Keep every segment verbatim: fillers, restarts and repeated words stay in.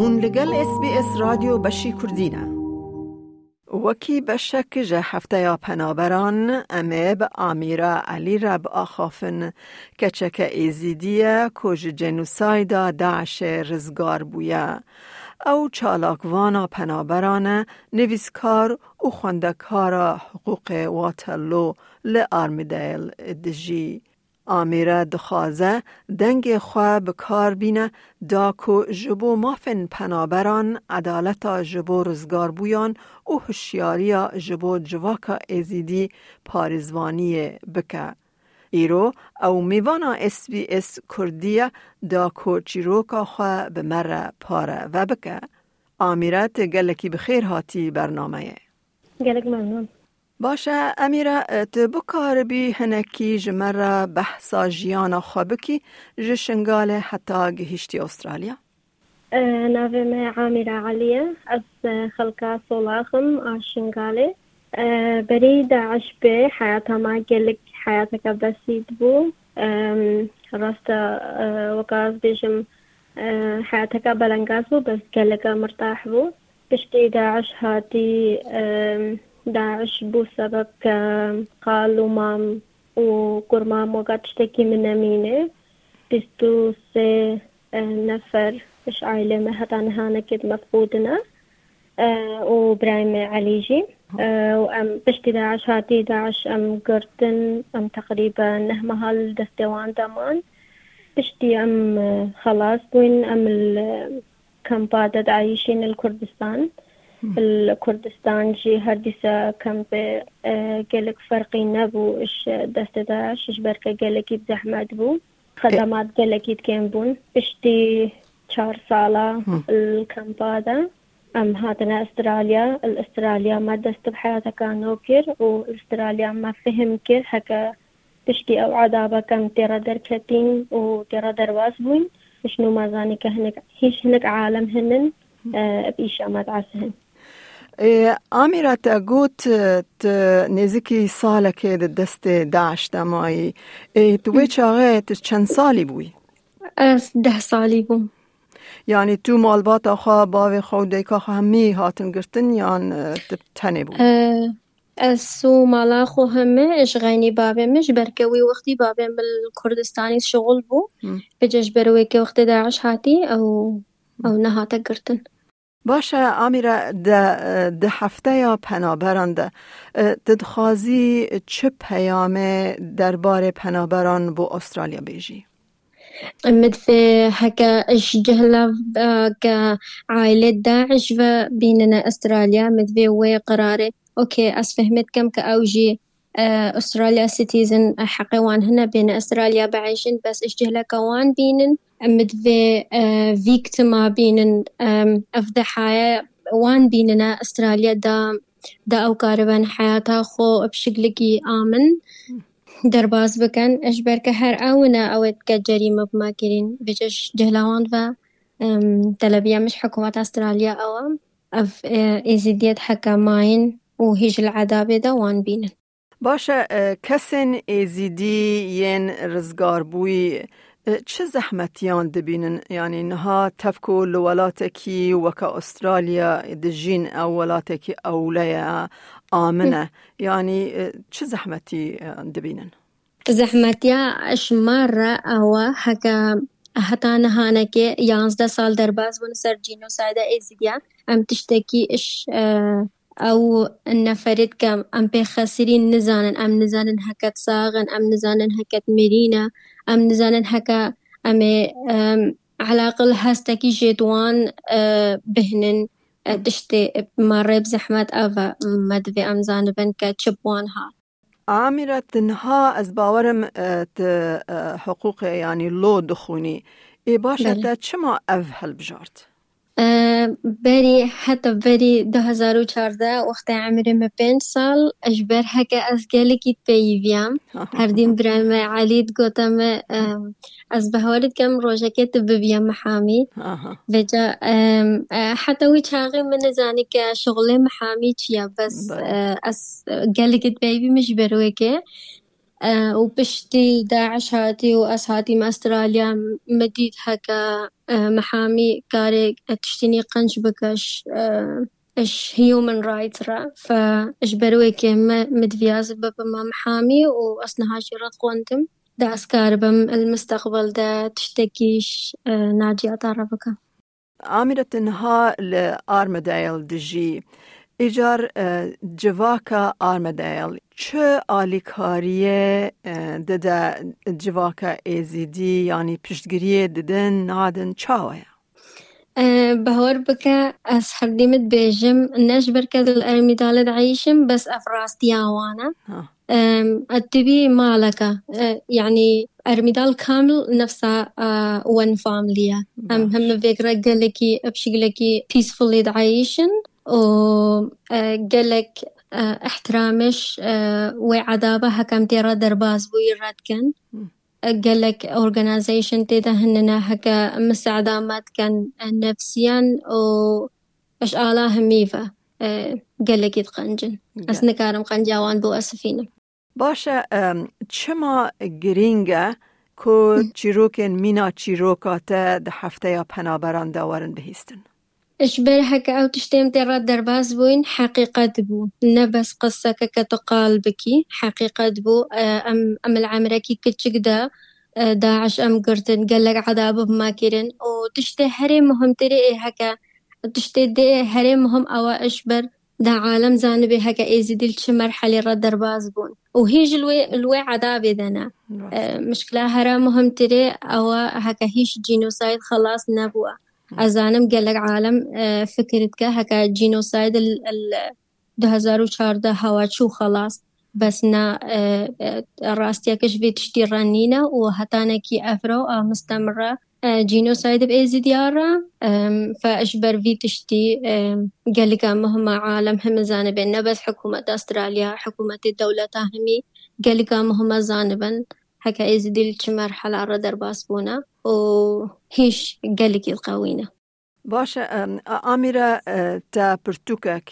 Hûn li gel S B S Radyo Beşî Kurdî ne. Wekî beşek ji hefteya penaberan, em ê bi Amîra Elî re biaxafin. Keçeke Êzîdî ye ku ji cenosayda DAIŞê rizgar bûye. Ew çalakvana penaberan e, nivîskar û xwendekara hiqûqê Waterloo li Armidale dijî. Amîra dixwaze dengê xwe bi kar bîne da ku ji bo mafên penaberan, edaleta ji bo rizgarbûyan û hişyariya ji bo civaka Êzîdî parêzvaniyê bike. Îro ew mêvana S B S Kurdî ye da ku çîroka xwe bi me re pareve bike. Amîra, tu gelekî bi xêr hatî bernameyê. Gelek memnûn. Baş e, Emîra, tu bikaribî hinekî ji me re behsa jiyana xwe bikî, ji Şingalê heta gihiştî Astralya? E, navê me Amîra Elî ye. Ez, e, xelka Solax im a Şingalê. E, berî DAIŞ bê heyata me gelek heyateke besît bû. Em, rast e, e, weka ez bêjim, e, heyateke belengaz bû, bes geleke mirtah bû. Piştî DAIŞ hatî, em, DAIŞ bû sebeb ke qal û mam û kurmam weka tiştekî min nemîne. Bîst û sê, e, nefer ji aîlê me heta niha nekê mefqûd ne. E, û birayê me Elî jî. E, û em piştî DAIŞ hatî, DAIŞ em girtin, em teqrîben neh meha li destê wan de man. Piştî em, e, xelas bûyn, em li kampa de diayîşîn li Kurdistan. Li Kurdistan jî her dîsa kempê, e, gelek ferqî nebû ji destê DAIŞ, ji ber ke gelekî bi zehmet bû. Xedemat gelekî kêm bûn. Piştî çar sala li kampa de em hatine Astralya. Li Astralya me dest bi heyateka nû kir û li Astralya me fihim kir heke piştî ew edabeke em tê re derketîn û tê re derbas bûyn. Ji nû me zanî ke hinek, hîç hinek alem hinin, e, bi îşa me diasihin. Ê, Amîra, te got, e, tu nêzîkî salekê di destê DAIŞ de mayî. Ê, tu wê çaxê tu çend salî bûyî? Ez deh salî bûm. Yanî tu malbata xwe, bavê xwe û dayika xwe hemî hatin girtin yan, e, tu tenê bûyî? E, ez û mala xwe heme ji xeynî bavê min, ji ber ke wî wextî bavê min li Kurdistanî şixul bû. Hı. Vêca ji ber wê ke wextê DAIŞ hatî, ew, ew nehate girtin. Baş e, Amîra, de, di hefteya penaberan de, e, tu dixwazî çi peyamê derbarê penaberan bo Astralya bêjî? Min divê heke ji cihla, e, ke aîlê DAIŞ ve bînine Astralya, min divê wê qirarê, okey, ez fehmê dikim ke ew jî e, Australia citizen, e, heqê wan hene bêne Australia biêjin, bes ji cihleke wan bînin. Em divê, e, victima bînin, em, ev dehaye wan bînine Australia da, da ew karibin heyata xwe bi şiklikî amin derbas bikin. Ji ber ke her ew ne ew ê dike cerîme bi me kirîn. Vêca ji cihla wan ve, em, telebiya min ji hikûmeta Australia ew e. Ev, e, êzidiyet heke mayîn û hîj li edabê de wan bînin. Baş e, e, kesên êzîdî yên rizgarbûyî, e, çi zehmetiyan dibînin? Yanî niha tev ku li welatekî weke Australya dijîn, ew welatekî ewle ye, amin e. Yanî, e, çi zehmetî, e, dibînin? Zehmetiya ji me re ew e, heke heta nihanekê yanzdeh sal derbas bûn ser cînosayda êzidiyan. Em tiştekî iş, e, ew neferê dike em pê xesirîn nizanin, em nizanin heket sax in, em nizanin heket mirî ne, em nizanin heke em ê, em, elaqil hestekî jê di wan, e, bihnin, e, tiştê me rê bi zehmet ev e, me divê em zanibin ke çi bi wan hat. Amîra, tu niha ez bawerim, e, tu, e, hiqûqê, yanî law dixwînî. Ê baş e, Belê. Te çima ev hilbijart? E, berî, heta berî du hezar û çardeh, wextê emirê me pênc sal, ji ber heke ez gelekî dipeyiviyam. Herdîm birayê me Elî digote me, e, ez bawer dikim rojekê tu bibiye mihamî. Aha. Vêca, em, e, heta wî çaxê min nizanî ke şixulê mihamî çi ye, bes, Belê. E, ez, e, gelekî dipeyivî min ji ber wê ke. E, û piştî Daiş hatî û ez hatîm Astralya, min dît heke, e, mihamî karê, e, tiştînî qenc bike ji, e, ji human rights re. Fe ji ber wê kê me, min diviyaz bibime mihamî û ez niha jî re dixwendim. De ez karibim li misteqbel de tiştekî ji, e, naciyata re bikim. Amîre, tu niha li Armidale dijî. Îcar, e, civaka Armidale çi alîkariyê, e, dide civaka Êzîdî, yanî piştgiriyê didin, nadin, çawa ye? E, bawer bike, ez herdî min dibêjim, ne ji ber ke li Ermîdalê dieyşim, bes ev rastiya wan e. Ha. Em, e, tu bî maleke, e, yanî Ermîdal kamil nefsa, e, one family ye. Em Baş. Hemî vêk re gelekî, bi şiklekî peacefully dieyşin û, e, gelek, e, ihtiramê ji, e, wê edaba heke em tê re derbas bûyî re dikin. Hı. E, gelek organization tê de hinine heke misada me dikin, e, nefsiyen û ji ala hemî ve, e, gelekî diqencin. Ez Ge- nikarim qenca wan biwesifînim. Baş e, em, çima girîng e ku Hı. çîrokên mîna çîroka te di hefteya penaberan de werin bihîstin? Ji ber heke ew tiştê em tê re derbas bûyn, heqîqet bû. Ne bes qiseke ke tu qal bikî, heqîqet bû. E, em, em li emrekî kiçik de, e, Daiş em girtin, gelek edab bi me kirin. Û tiştê herê muhimtirê ê heke, tiştê dê herê muhim ew e ji ber da alem zanibê heke Êzidî li çi merhelê re derbas bûn. Û hîn jî li wê, li wê edabê de ne. Rast. E, mişkila here muhimtirê ew e heke hîn ji genocide xelas nebûye. Ez zanim gelek alem, e, fikir dike heke genocide li, li du hezar û çardeh hewa çû xelas. Bes na, e, e, rastiyeke ji vê tiştî re nîne û hetanekî ev re û a mistemir re, e, genocide bi Êzidiya re, em, fe ji ber vî tiştî, em, gelika muhima alem heme zanibin, ne bes hikûmeta Astralya, hikûmetê dewleta hemî gelika muhima zanibin, heke Êzidî li çi merhela re derbas bûne û hîn jî gelekî diqewîne. Baş e, em, a-, Amîre, e, te pirtûkek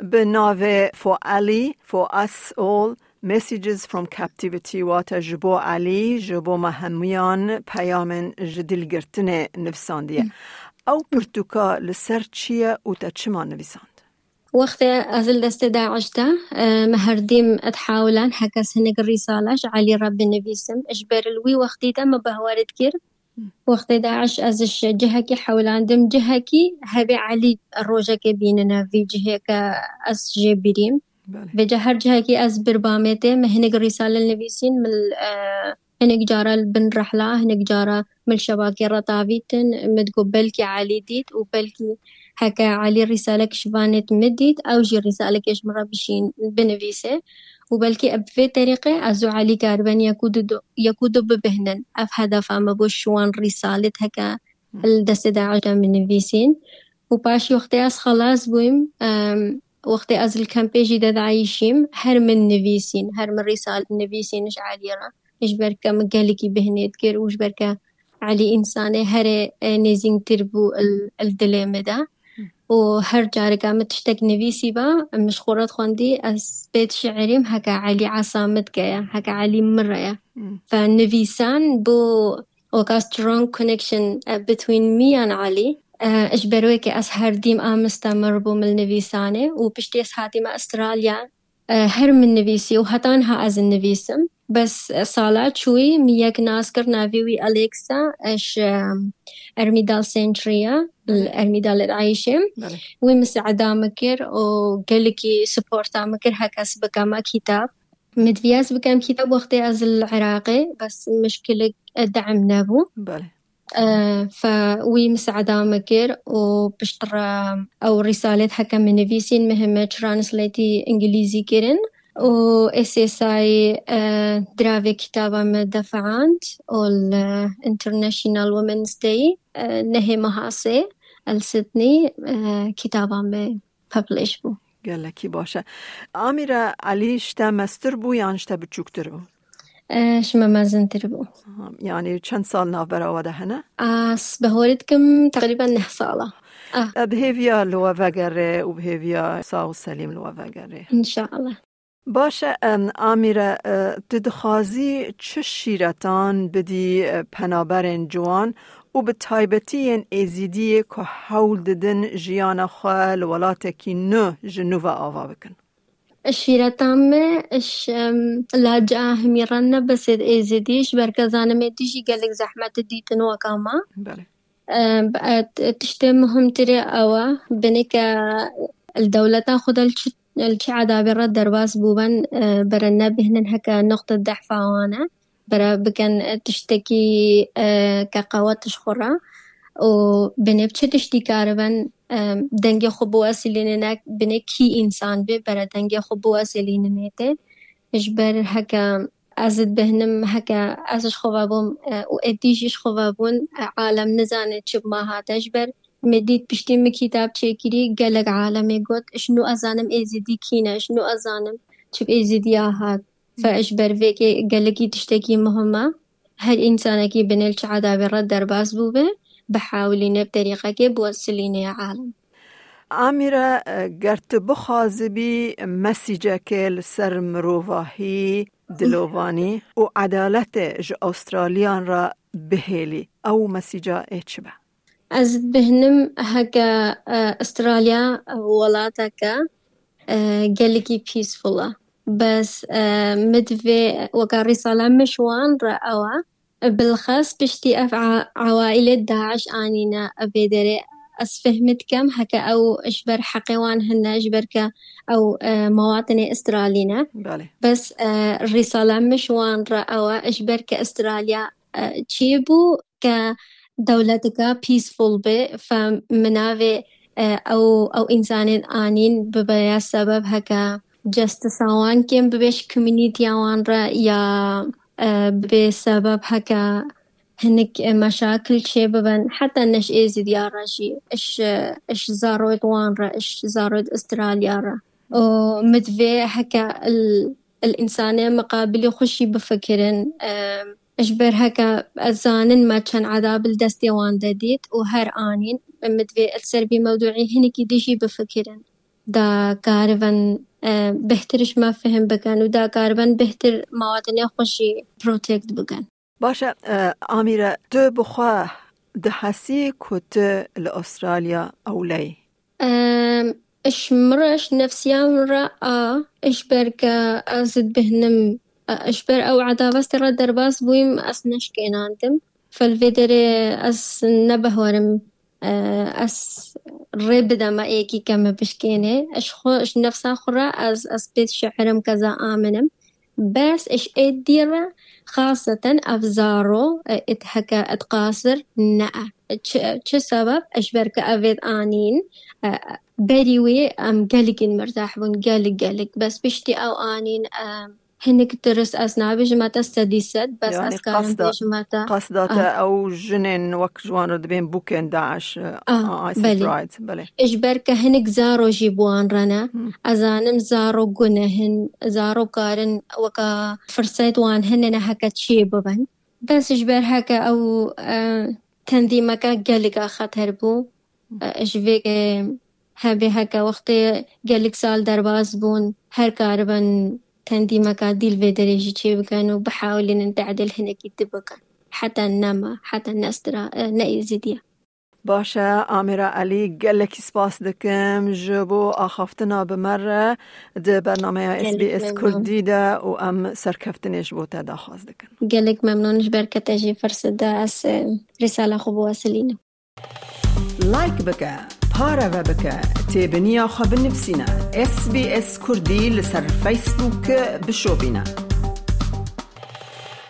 bi navê For Ali, For Us All, Messages from Captivity, wate ji bo Elî, ji bo me hemûyan peyamên ji dilgirtinê nivîsandiye. Hı. Ew pirtûka li ser çi ye û te çima nivîsand? Wextê ez li destê Daiş de, e, me herdîm dihewilan heke ez hinek rîsale ji Elî re binivîsim. Ji ber li wî wextî de me bawer dikir, wextê Daiş ez ji cihekî hewlandim, cihekî hebê Elî rojekê bînine vî cihê ke ez jê birîm. Belê. Vêca her cihekî ez bir bamê tê, me hinek rîsale nivîsîn, min, e, hinek cara li bin rehla, hinek cara min li şebakê re tavîtin, min digot belkî Elî dît û belkî heke Elî rîsalek ji vanê min dît, ew jî rîsalekê ji min re bişîn, binivîse. Û belkî bi vê terîqê ez û Elî kariben yek û du, yek û du bibihnin. Ev hedefa me bû ji wan rîsalêt heke Hı. Li destê Daiş de min nivîsîn. Û paşî wextê ez xelas bûyim, em, wextê ez li kempê jî de dieyşîm, her min nivîsîn, her min rîsal nivîsîn ji Elî re. Ji ber ke min gelekî bihnê dikir û ji ber ke Elî însanê herê, e, nêzîngtir bû il, il dilê min de. Û her careke min tiştek nivîsîba, min ji xwe re dixwendî, ez bêt şiirîm heke Elî esa min dike ye, heke Elî min re ye. Hmm. Fe nivîsan bû weka strong connection, e, between me and Elî. E, ji ber wê ke ez her dîm a mistemir bûm li nivîsanê û piştî ez hatîme Astralya, e, her min nivîsî û heta niha ez nivîsim. Bes, e, sala çûyî min yek nas kir, navê wî Alexa, e, ji, e, Ermîdal Century ye, li Ermîdalê dieyşê. Belê. Wî misada min kir û gelekî supporta min kir, heke ez bikeme kîtab. Min diviyaz bikem kîtab wextê ez li Iraqê, bes mişkilik, e, de'm nebû. Belê. E, fe wî misada min kir û piştre ew rîsalêt heke min nivîsîn, min heme translateî îngilîzî kirin û S S I, e, diravê kitaba min defiand û li International Women's Day, e, nehê meha sê li Sydney, e, kitaba min publish bû. Gelekî baş e. Amîre, Elî ji te mestir bû yan ji te biçûktir bû? E, ji me mezintir bû. Aha, yanî çend sal navbera we de hene? Ez bawer dikim teqrîben neh sal e. Ah. E, bi hêviya li we vegerê û bi hêviya sax û selîm li we vegerê. Înşallah. Baş e, em, Amîre, e, tu dixwazî çi şîretan bidî, e, penaberên ciwan û bi taybetî yên Êzîdiyê ku hewl didin jiyana xwe li welatekî nû ji nû ve ava bikin? Şîreta me, iş, em, la ca hemî re ne bes ê Êzîdî, ji ber ke zanim ê dî jî gelek zehmet dîtin weka me. Belê. Em, e, t-, tiştê muhimtirê ew e, binê ke li dewleta xwe de li çi, li çi edabê re derbas bûben, e, bere nebihnin heke nuqte dehfa wan e. Bere bikin, e, tiştekî, e, ke qewet ji xwe re û binê bi çi tiştî karibin, e, dengê xwe biwesîlînin, binê kî însan bê, bere dengê xwe biwesîlîninê tê. Ji ber heke ez dibihnim, heke ez ji xwe ve bûm, e, û êdî jî ji xwe ve bûn, e, alem nizane çi bi me hate. Ji ber me dît piştî min kîtab çêkirî, gelek alemê got, ji nû ez zanim Êzîdî kî ne, ji nû ez zanim çi bi Êzîdiya hat. Fe ji ber vê ke gelekî tiştekî muhim e. Her însanekî binê li çi edabê re derbas bûbe, bihewilîne bi terîqekê biwesilîne alem. Amîre, ger tu bixwazibî mesîcekê li ser mirovahî, dilovanî û edaletê ji Awustraliyan re bihêlî, ew mesîca ê çi be? Ez dibihnim heke, e, Australya, e, welateke, e, gelekî peaceful e. Bes, e, min divê weka rîsala min ji wan re ew e. Bilxas piştî ev a-, ewaîlê DAIŞ anîne vê derê, ez fehmî dikem heke ew ji ber heqê wan hene, ji ber ke ew, e, mewatine Australî ne. Belê. Bes, e, rîsala min ji wan re ew e, ji ber ke Australya, e, çêbû ke dewleteke peaceful be, fe min navê, e, ew, ew însanên anîn bibe ya sebeb heke justice wan kêm bibe ji community wan re ya, e, bibe sebeb heke hinek, e, meşakil çê bibin, heta ne ji Êzidiya re jî, iş, e, iş zaroyt wan re, iş zaroyt Australya re. Û min divê heke il, il însanê miqabilî xwe jî bifikirin, e, ji ber heke ez zanin me çend edab li destê wan de dît û her anîn, min divê li ser vî mewduî hinekî dî jî bifikirin. Da karibin, e, bêhtir ji me fihim bikin û da karibin bêhtir mewatine xwe jî protect bikin. Baş e, e, Amîre, tu bi xwe dihesî ku tu li Australya ewle yî? Em, ji min re, ji nefsiya min re a, ji ber ke ez dibihnim, e, ji ber ew edavestê re derbas bûyim, ez neşkênandim. Fel vê derê ez nebehwerim, e, ez rê bideme êkî ke min bişkênê. Ji xwe, ji nefsa xwe re ez, ez pê dişehirim ke ez amin im. Bes ji êdî re xaseten ev zaro, e, it heke it qasir ne e. Çi, çi sebeb? Ji ber ke ev êd anîn, e, berî wî em gelekî mirtah bûn, gelek, gelek. Bes piştî ew anîn, e, hinek tirs ez nabêjim te sedî sed, bes Yani ez karim qasda, bêjim te. Qasda te Ah. ew jinên wek ji wan re dibên bûkên DAIŞ, e, Ah, ISIS belê. Right, belê. Ji ber ke hinek zaro jî bi wan re ne. Hmm. Ez zanim zaro guneh in, zaro karin weka firset wan hene ne heke çê bibin. Bes ji ber heke ew, e, tendîmeke gelek a xeter bû. E, ji vê ke hebê heke wextê gelek sal derbas bûn, her karibin tendîmeka dî li vê derê jî çê bikin û bihewlînin tehdil hinekî dî bikin. Heta nema, heta nestra, e, ne Êzidiya. Baş e, Amîra Elî, gelekî spas dikim ji bo axaftina bi me re di bernameya Gelek S B S memnun. Kurdî de û em serkeftinê ji bo te daxwaz dikin. Gelek memnun ji ber ke te jî firset da ez, e, rîsala xwe biwesilînim. Like bike, pareve bike, têbiniya xwe binivîsîne. S B S Kurdî li ser Facebook bişopîne.